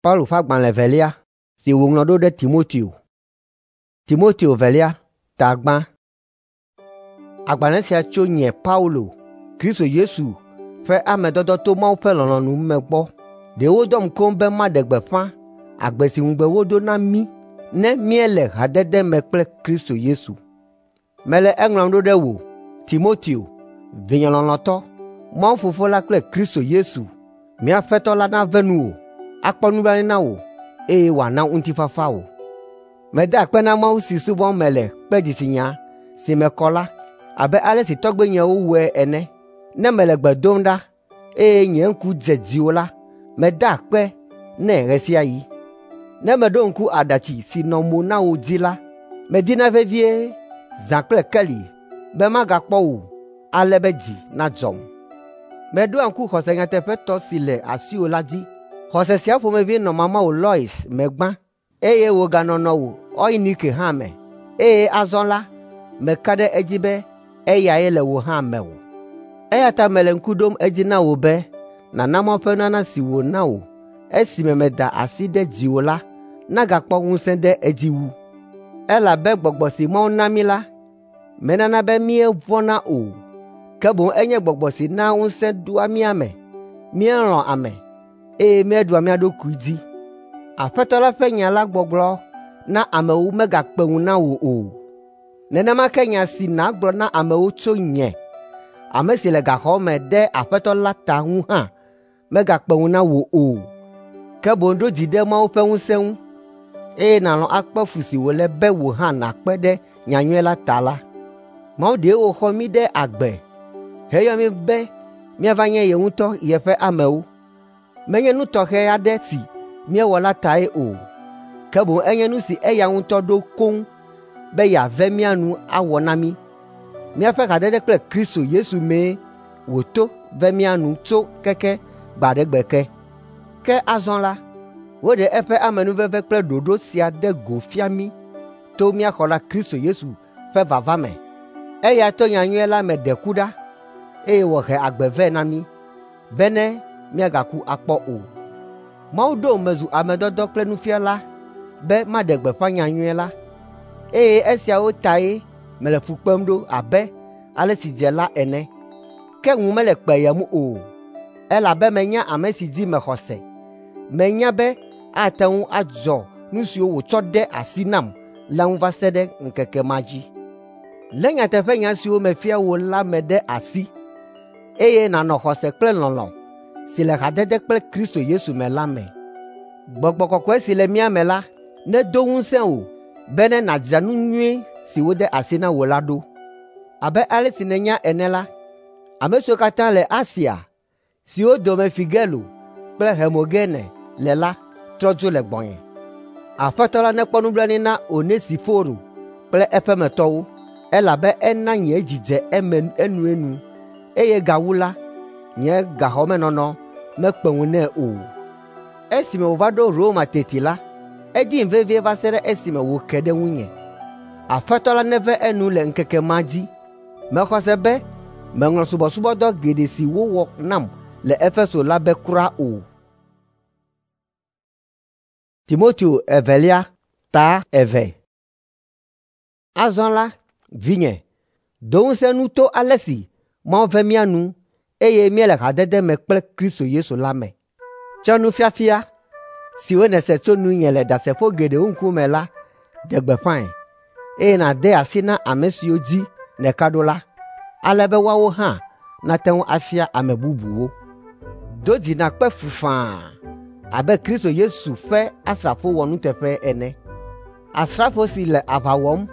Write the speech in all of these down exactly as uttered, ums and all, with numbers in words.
Paulo ƒe agbalẽ evelia si wòŋlɔ ɖo ɖe Timoteo. Timoteo velia ta gbã. Agbalẽ sia tso nye Paulo, Kristo Yesu ƒe ame dɔdɔ to Mawu ƒe lɔlɔ̃nu me gbɔ. Ɖe wodɔm koŋ be maɖe gbeƒã agbe si ŋugbe wodo na mí ne míele hadede me kple Kristo Yesu. Mele eŋlɔm ɖo ɖe wò, Timoteo, vinye lɔlɔ̃tɔ, Mawu Fofo la kple Kristo Yesu, mía Aƒetɔ la nave nuwò, akpɔ nublanui na wò, eye wòana ŋutifafa wò. Meda akpe na Mawu si subɔm mele kple dzitsinya si me kɔ la, abe ale si tɔgbuinyewo wɔe ene. Ne mele gbe dom ɖa, eye nye ŋku dze dziwò la, meda akpe nɛ ɣe sia ɣi. Ne meɖo ŋku aɖatsi si nɔ mo na wò dzi la, medina vevie zã kple keli be magakpɔ wò ale be dzi nadzɔm. Meɖoa ŋku xɔse nyateƒetɔ si le asiwò la dzi. Xɔse sia ƒomevi nɔ mamawò Lois me gbã, eye wòganɔ nɔwò Eunike hã me, eye azɔ la, meka ɖe edzi be eyae le wò hã mewò. Eya ta mele ŋku ɖom edzi na wò be nàna Mawu ƒe nunana si wòna wò esime meda asi ɖe dziwò la nagakpɔ ŋusẽ ɖe edzi wu. Elabe gbɔgbɔ si Mawu na mí la, menana be míevɔ̃na o, ke boŋ enye gbɔgbɔ si naa ŋusẽ ɖoa mía me, míelɔ̃a ame, eye míeɖua mía ɖokui dzi. Aƒetɔ la ƒe nya la gbɔgblɔ na amewo megakpe ŋu na wò o. Nenema ke nya si nàgblɔ na amewo tso nye, ame si le gaxɔ me ɖe Aƒetɔ la ta ŋu hã megakpe ŋu na wò o. Ke boŋ ɖo dzi ɖe Mawu ƒe ŋusẽ ŋu, eye nàlɔ̃ akpe fu si wòle be wò hã nàkpe ɖe nyanyui la ta la. Mawu ɖe wòxɔ mí ɖe agbe heyɔ mí be míava nye ye ŋutɔ yeƒe amewo. Menye nu tɔxɛ aɖe si míewɔ la tae o, ke boŋ enye nu si eya ŋutɔ ɖo koŋ be yeave mía nu awɔ na mí. Míaƒe hadede kple Kristo Yesu mee wòto ve mía nu tso keke gbe aɖe gbe ke. Ke azɔ la, woɖe eƒe amenuveve kple ɖoɖo sia ɖe go fia mí to mía xɔla Kristo Yesu ƒe vava me. Eya to nyanyui la me ɖe ku ɖa, eye wòhe agbe vɛ na mí, bene míagaku akpɔ o. Mawu ɖom mezu ame dɔdɔ kple nufiala be maɖe gbeƒã nyanyui la, eye esiawo tae mele fu kpem ɖo abe ale si dze la ene. Ke ŋu mele kpeyem o, elabe menya ame si dzi mexɔ se. Menya be ate ŋu adzɔ nu siwo wòtsɔ de asi nam la ŋu va se ɖe ŋkeke ma dzi. Lé nyateƒenya siwo mefia wò la me ɖe asi, eye nànɔ xɔse kple lɔlɔ̃ si le hadede kple Kristo Yesu me la me. Gbɔgbɔ kɔkɔe si le mía me la nedo ŋusẽ wò bene nàdzra nu nyui si wode asi na wò la ɖo. Abe ale si nènya ene la, ame siwo katã le Asia, siwo dome Figelo kple Hermogene le la trɔ dzo le gbɔnye. Aƒetɔ la nekpɔ nublanui na Onesiforo kple eƒemetɔwo, elabe ena nye dzi dze eme enuenu, eye gawu la, nye gaxɔmenɔnɔ mekpe ŋu nɛ o. Esime wòva ɖo Roma teti la, edim vevie va se ɖe esime wòke ɖe ŋunye. Aƒetɔ la neve enu le ŋkeke ma dzi. Mexɔ se be meŋlɔ subɔsubɔdɔ geɖe si wowɔ nam le Efeso la be kura o. Timoteo evelia ta eve. Azɔ la, vinye, do ŋusẽ nu to ale si Mawu ve mía nu eye míele hadede me kple Kristo Yesu la me. Tsɔ nufiafia siwo nèse tso nunye le ɖasefo geɖewo ŋkume la ɖe gbeƒãe, eye nàde asi na ame siwo dzi nèka ɖo la, ale be woawo hã nate ŋu afia ame bubuwo. Do dzi nàkpe fu faa abe Kristo Yesu ƒe asrafo wɔnuteƒe ene. Asrafo si le aʋa wɔm,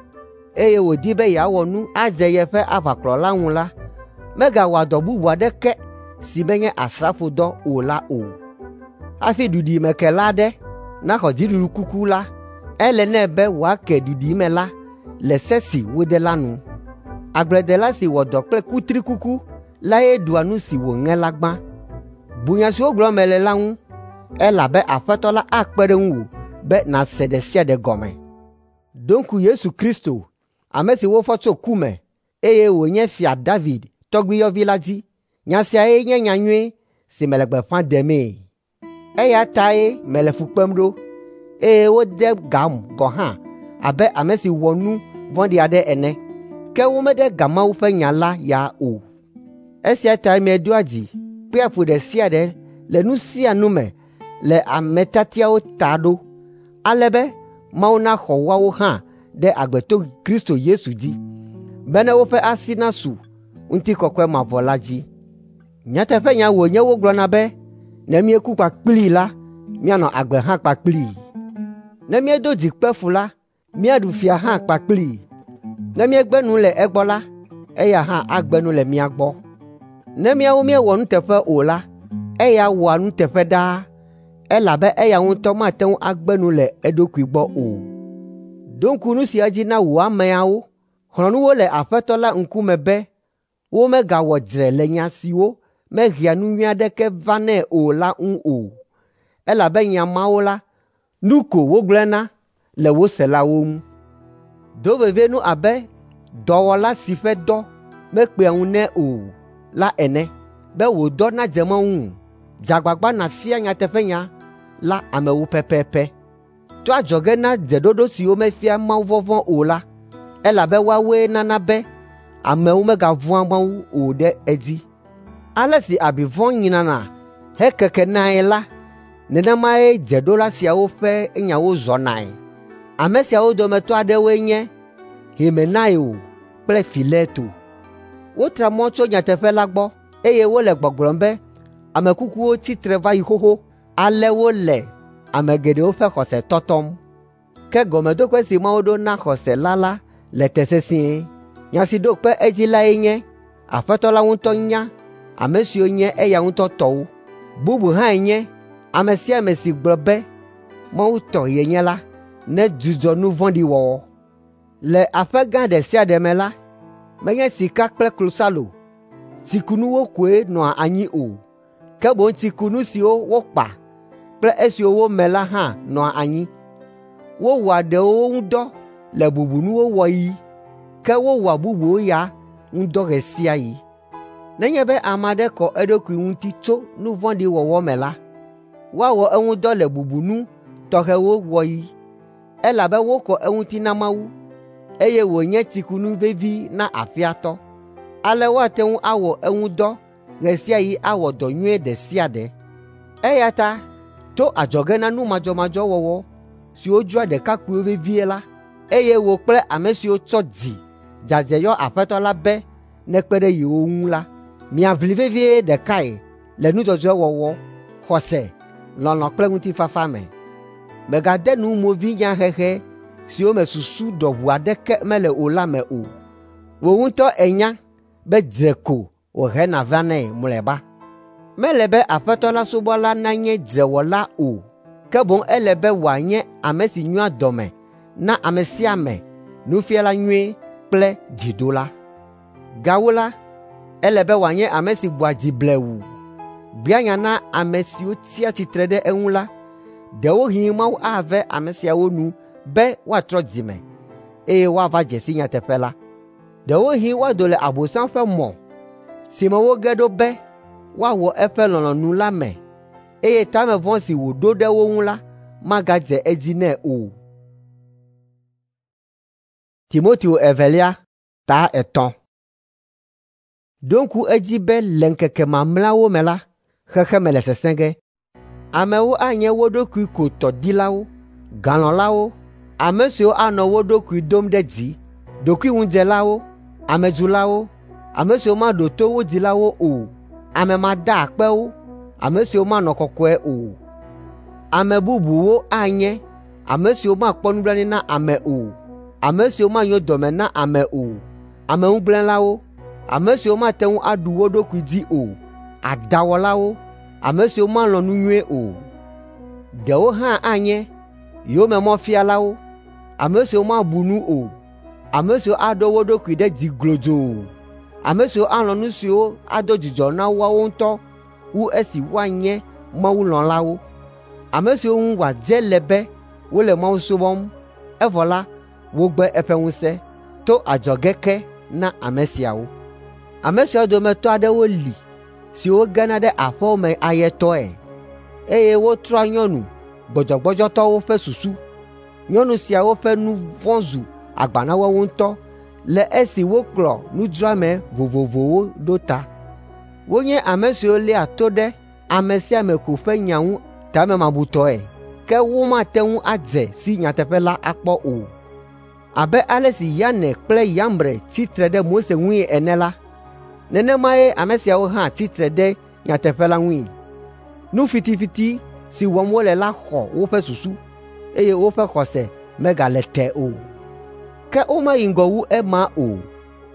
eye wòdi be yeawɔ nu adze yeƒe aʋakplɔla ŋu la, megawɔa dɔ bubu aɖeke si menye asrafodɔ o la o. Hafi duɖimekela aɖe naxɔ dziɖuɖukuku la, ele nɛ be wòake duɖime la le se si wode la nu. Agbledela si wɔ dɔ kple kutrikuku lae ɖua nu si wòŋe la gbã. Bu nya siwo gblɔm mele la ŋu, elabe Aƒetɔ la akpe ɖe ŋuwò be nàse ɖe sia ɖe gɔme. Ɖo ŋku Yesu Kristo, ame si wofɔ tso ku me, eye wònye Fia David tɔgbuiyɔvi la dzi. Nya siae nye nyanyui si mele gbeƒã ɖemee. Eya tae mele fu kpem ɖo, eye wode gam gɔ̃ hã abe ame si wɔ nu vɔ̃ɖi aɖe ene. Ke womede ga Mawu ƒe nya la ya o. Esia tae medoa dzi, kpea fu ɖe sia ɖe le nu sia nu me le ame tiatiawo ta ɖo, ale be Mawu naxɔ woawo hã ɖe agbe to Kristo Yesu dzi, bene woƒe asi nasu ŋutikɔkɔe mavɔ la dzi. Nyateƒenya wònye wogblɔna be ne míeku kpakplii la, míanɔ agbe hã kpakplii. Ne míedo dzi kpe fu la, míaɖu fia hã kpakplii. Ne míegbe nu le egbɔ la, eya hã agbe nu le mía gbɔ. Ne míawo míewɔ nuteƒe o la, eya wɔa nuteƒe ɖaa, elabe eya ŋutɔ mate ŋu agbe nu le eɖokui gbɔ o. Ɖo ŋku nu sia dzi na wò ameawo. Xlɔ̃ nu wo le Aƒetɔ la ŋkume be womegawɔ dzre le nya siwo mehea nu nyui aɖeke vanɛ o la ŋu o, elabe nya mawo la, nu ko wogblẽna le wo selawo ŋu. Do vevie nu abe dɔwɔla si ƒe dɔ mekpea ŋu nɛ o la ene, be wò dɔ nadze Mawu ŋu. Dze agbagba nàfia nyateƒenya la amewo pɛpɛpɛ. To adzɔge na dzeɖoɖo siwo mefia mawuvɔvɔ̃ o la, elabe woawoe nana be amewo megavɔ̃a Mawu o ɖe edzi. Ale si abi vɔ̃ nyrana hekekenae la, nenemae dzeɖola siawo ƒe nyawo zɔnae. Ame siawo dometɔ aɖewoe nye Himenaio kple Fileto. Wotra mɔ tso nyateƒe la gbɔ, eye wole gbɔgblɔm be ame kukuwo tsi tre va yi xoxo, ale wole ame geɖewo ƒe xɔse tɔtɔm. Ke gɔmeɖokpe si Mawu ɖo na xɔse la la le te sesĩe. Nya si ɖo kpe edzi lae nye, Aƒetɔ la ŋutɔ nya ame siwo nye eya ŋutɔ tɔwo. Bubu hãe nye ame sia ame si gblɔ be Mawu tɔ yenye la, nedzudzɔ nu vɔ̃ɖi wɔwɔ. Le aƒe gã ɖe sia ɖe me la, menye sika kple klosalo, tsikunuwo koe nɔa anyi o, ke boŋ tsikunu siwo wokpa kple esiwo wome la hã nɔa anyi. Wowɔa ɖewo ŋu dɔ le bubunuwo wɔɣi, ke wowɔa bubuwo ya ŋu dɔ ɣe sia ɣi. Nenye be ame aɖe kɔ eɖokui ŋuti tso nu vɔ̃ɖi wɔwɔ me la, woawɔ eŋu dɔ le bubunu tɔxɛwo wɔɣi, elabe wokɔ eŋuti na Mawu, eye wònye tsikunu vevi na aƒea tɔ. Ale woate ŋu awɔ eŋu dɔ ɣe sia ɣi awɔ dɔ nyui ɖe sia ɖe. Eya ta to adzɔge na nu madzɔmadzɔ wɔwɔ siwo dzroa ɖekakpuiwo vevie la, eye wò kple ame siwo tsɔ dzi dzadzɛ yɔ Aƒetɔ la be nekpe ɖe yewo ŋu la, miaʋli vevie ɖekae le nu dzɔdzɔe wɔwɔ, xɔse, lɔlɔ̃ kple ŋutifafa me. Mègade nu movinyahehe siwo me susu ɖɔʋu aɖeke mele o la me o. Wò ŋutɔ ènya be dzre ko wòhena vanɛ mlɔeba. Mele be Aƒetɔ la subɔla nanye dzrewɔla o, ke boŋ ele be wòanye ame si nyoa dɔme na ame sia ame, nufiala nyui kple dzidola. Gawu la, ele be wòanye ame si gbɔa dzi blewu, gbea nya na ame siwo tsia tsitre ɖe eŋu la. Ɖewohĩ Mawu ave ame siawo nu be woatrɔ dzime, eye woava dze si nyateƒe la. Ɖewohĩ woado le Abosam ƒe mɔ si me woge ɖo be woawɔ eƒe lɔlɔ̃nu la me, eye tame vɔ̃ si wòɖo ɖe wo ŋu la magadze edzi nɛ o. Timoteo evelia ta etɔ̃. Ɖo ŋku edzi be le ŋkeke mamlɛawo me la, xexeme le sesẽ ge. Amewo anye wo ɖokui ko tɔ dilawo, galɔ̃lawo, ame siwo anɔ wo ɖokui dom ɖe dzi, ɖokuiŋudzelawo, amedzulawo, ame siwo maɖo to wo dzilawo o, ame madaakpewo, ame siwo manɔ kɔkɔe o. Ame bubuwo anye ame siwo makpɔ nublanui na ame o, ame siwo manyo dɔme na ame o, ameŋugblẽlawo, ame siwo mate ŋu aɖu wo ɖokui dzi o, adãwɔlawo, ame siwo malɔ̃ nu nyui o. Ɖewo hã anye yomemɔfialawo, ame siwo mabu nu o, ame siwo aɖo wo ɖokui ɖe dzi glodzoo, ame siwo alɔ̃ nu siwo ado dzidzɔ na woawo ŋutɔ wu esi woanye mawulɔ̃lawo, ame siwo ŋu wòadze le be wole Mawu subɔm, evɔ la, wogbe eƒe ŋusẽ to adzɔge ke na ame siawo. Ame siawo dometɔ aɖewo li siwo gena ɖe aƒewo me ayetɔe, eye wotrɔa nyɔnu gbɔdzɔgbɔdzɔtɔwo ƒe susu. Nyɔnu siawo ƒe nu vɔ̃ zu agba na woawo ŋutɔ le esi wokplɔ nudzroame vovovowo ɖo ta. Wonye ame siwo léa to ɖe ame sia ame ko ƒe nya ŋu tamemabutɔe, ke womate ŋu adze si nyateƒe la akpɔ o. Abe ale si Yane kple Yambre tsi tre ɖe Mose ŋui ene la, nenemae ame siawo hã tsi tre ɖe nyateƒe la ŋui. Nu fitifiti si wɔm wole la xɔ woƒe susu, eye woƒe xɔse megale te o. Ke womayi ŋgɔ wu ema o,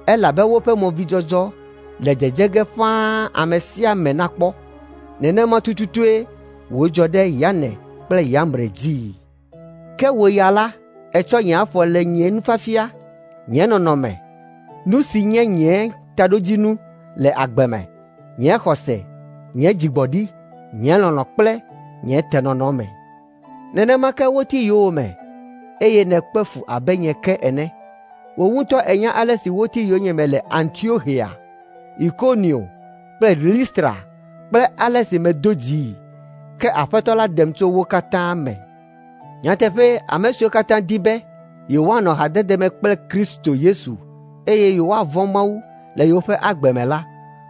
elabe woƒe movidzɔdzɔ le dzedze ge ƒãa ame sia ame nakpɔ. Nenema tututue wòdzɔ ɖe Yane kple Yambre dzii. Ke wò ya la, ètsɔ nye afɔ le nye nufiafia, nye nɔnɔme, nu si nye nye taɖodzinu le agbe me, nye xɔse, nye dzigbɔɖi, nye lɔlɔ̃ kple nye tenɔnɔ me. Nenema ke woti yowòme, eye nèkpe fu abe nye ke ene. Wò ŋutɔ ènya ale si woti yonyeme le Antioxia, Ikonio kple Listra kple ale si medo dzii, ke Aƒetɔ la ɖem tso wo katã me. Nyateƒee, ame siwo katã di be yewoanɔ hadede me kple Kristo Yesu eye yewoavɔ̃ Mawu le yewoƒe agbe me la,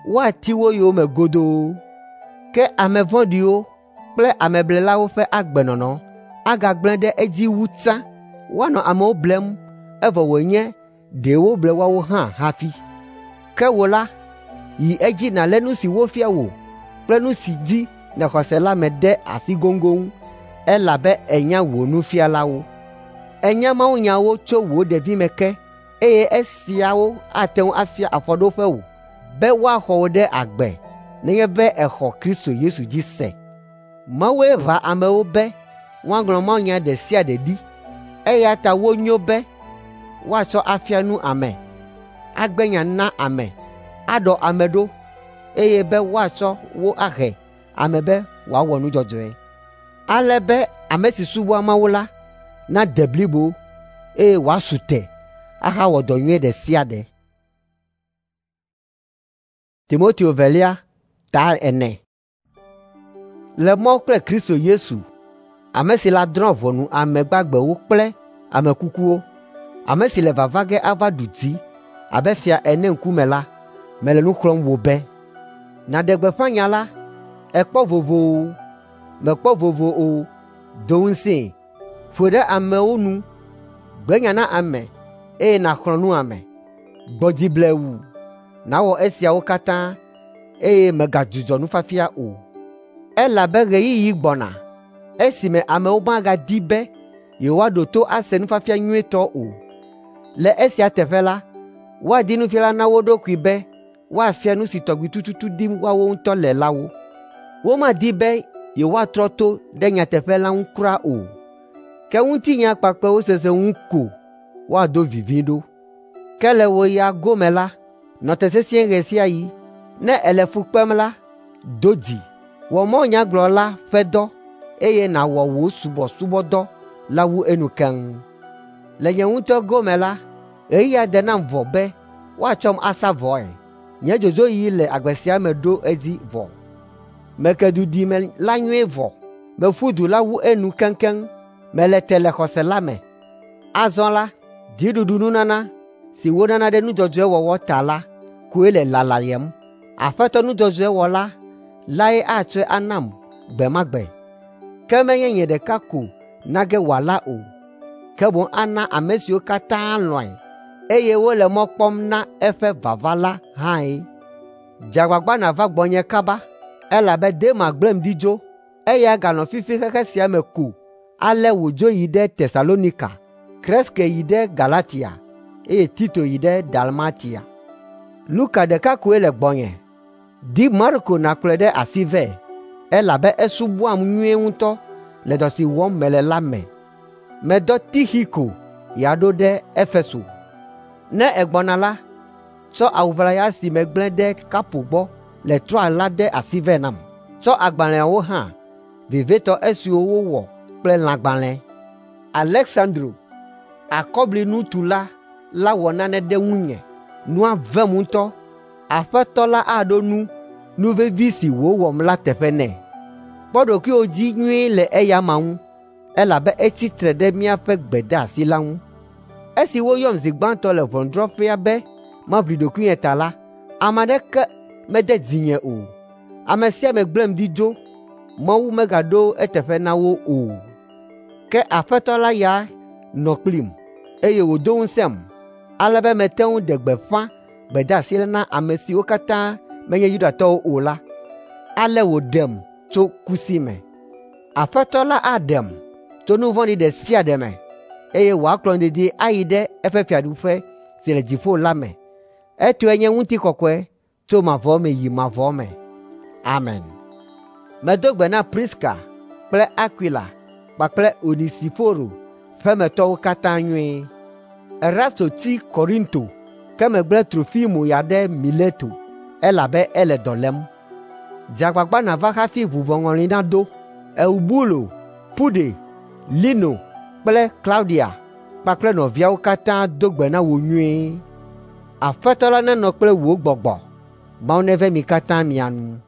woati wo yowòme godoo. Ke ame vɔ̃ɖiwo kple ameblelawo ƒe agbenɔnɔ agagblẽ ɖe edzi wu tsã. Woanɔ amewo blem evɔ wònye ɖe woble woawo hã hafi. Ke wò la, yi edzi nàlé nu si wofia wò kple nu si dzi nèxɔ se la me ɖe asi goŋgoŋ, elabe ènya wò nufialawo. Ènya mawunyawo tso wò ɖevime ke, eye esiawo ate ŋu afia afɔɖoƒe wò be woaxɔ wò ɖe agbe nenye be èxɔ Kristo Yesu dzi se. Mawue ʋã amewo be woaŋlɔ mawunya ɖe sia ɖe ɖi, eya ta wonyo be woatsɔ afia nu ame, agbe nya na ame, aɖɔ ame ɖo, eye be woatsɔ wo ahe ame be wòawɔ nu dzɔdzɔe. Ale be ame si subɔa Mawu la nade blibo, eye wòasu te ahawɔ dɔ nyui ɖe sia ɖe. Timoteo velia ta ene. Le Mawu kple Kristo Yesu, ame si la drɔ̃ ʋɔnu ame gbagbewo kple ame kukuwo, ame si le vava ge ava ɖu dzi abe fia ene ŋkume la, mele nu xlɔ̃m wò be, nàɖe gbeƒã nya la, èkpɔ vovo o, mèkpɔ vovo o, do ŋusẽe, ƒoe ɖe amewo nu, gbe nya na ame, eye nàxlɔ̃ nu ame. Gbɔ dzi blewu, nàwɔ esiawo katã, eye mègadzudzɔ nufiafia o. Elabe ɣeyiɣi gbɔna esime amewo magadi be yewoaɖo to ase nufiafia nyuitɔ o. Le esia teƒe la, woadi nufiala na wo ɖokui be woafia nu si tɔgbi tututu dim woawo ŋutɔ le la wo. Womadi be yewoatrɔ to ɖe nyateƒe la ŋu kura o, ke ŋutinya kpakpɛwo sese ŋu ko woado vivi ɖo. Ke le wò ya gome la, nɔ te sesĩe ɣe sia ɣi. Ne èle fu kpem la, do dzi, wɔ mawunyagblɔla ƒe dɔ, eye nàwɔ wò subɔsubɔdɔ la wu enu keŋ. Le nye ŋutɔ gome la, ɣeyiɣia de nam vɔ be woatsɔm asa vɔe. Nye dzodzoɣi le agbe sia me ɖo edzi vɔ. Meke dudime la nyuie vɔ. Meƒu du la wu enu keŋkeŋ. Mele te le xɔse la me. Azɔ la, dziɖuɖununana si wonana ɖe nu dzɔdzɔe wɔwɔ ta la koe le lalayem. Aƒetɔ nu dzɔdzɔe wɔla lae atsɔe anam gbe ma gbe. Ke menye nye ɖeka ko na ge wòala o, ke boŋ ana ame siwo katã lɔ̃e, eye wole mɔ kpɔm na eƒe vava la hãe. Dze agbagba nàva gbɔnye kaba, elabe Dema gblẽm ɖi dzo, eya ganɔ fifi xexe sia me ko ale wòdzo yi ɖe Tesalonika, Kreske yi ɖe Galatia, eye Tito yi ɖe Dalmatia. Luka ɖeka koe le gbɔnye. Di Marko nàkplɔe ɖe asi vɛ, elabe esubɔam nyuie ŋutɔ le dɔ si wɔm mele la me. Medɔ Tixiko ya ɖo ɖe Efeso. Ne ègbɔna la, tsɔ awu ʋlaya si megblẽ ɖe Karpo gbɔ le Troa la de asi vɛ nam. Tsɔ agbalẽawo hã, vevietɔ esiwo wowɔ kple lãgbalẽ. Aleksandro, akɔblinutula la wɔ nane ɖe ŋunye. Nua vem ŋutɔ. Aƒetɔ la aɖo nu nu vevi si wòwɔm la teƒe nɛ. Kpɔ ɖokuiwò dzi nyuie le eya amea ŋu, elabe etsi tre ɖe míaƒe gbedeasi la ŋu. Esi woyɔm zi gbãtɔ le ʋɔnudrɔ̃ƒea be maʋli ɖokuinye ta la, ame aɖeke mede dzinye o. Ame sia ame gblẽm ɖi dzo. Mawu megaɖo eteƒe na wo o. Ke Aƒetɔ la ya nɔ kplim, eye wòdo ŋusẽm, ale be mete ŋu ɖe gbeƒã gbedeasi la na ame siwo katã menye Yudatɔwo o la. Ale wòɖem tso ku si me. Aƒetɔ la aɖem tso nu vɔ̃ɖi ɖe sia ɖe me, eye wòakplɔm dedie ayi ɖe eƒe fiaɖuƒe si le dziƒo la me. Etɔe nye ŋutikɔkɔe tso mavɔ me yi mavɔ me. Amen. Medo gbe na Priska kple Akwila kpakple Onesiforo ƒemetɔwo katã nyuie. Erasto tsi Korinto, ke megblẽ Trofimo ya ɖe Mileto, elabe ele dɔ lém. Dze agbagba nàva hafi vuvɔŋɔli naɖo. Eubulo, Pude, Lino kple Klaudia kpakple nɔviawo katã do gbe na wò nyuie. Aƒetɔ la nenɔ kple wò gbɔgbɔ. Mawu neve mi katã mia nu.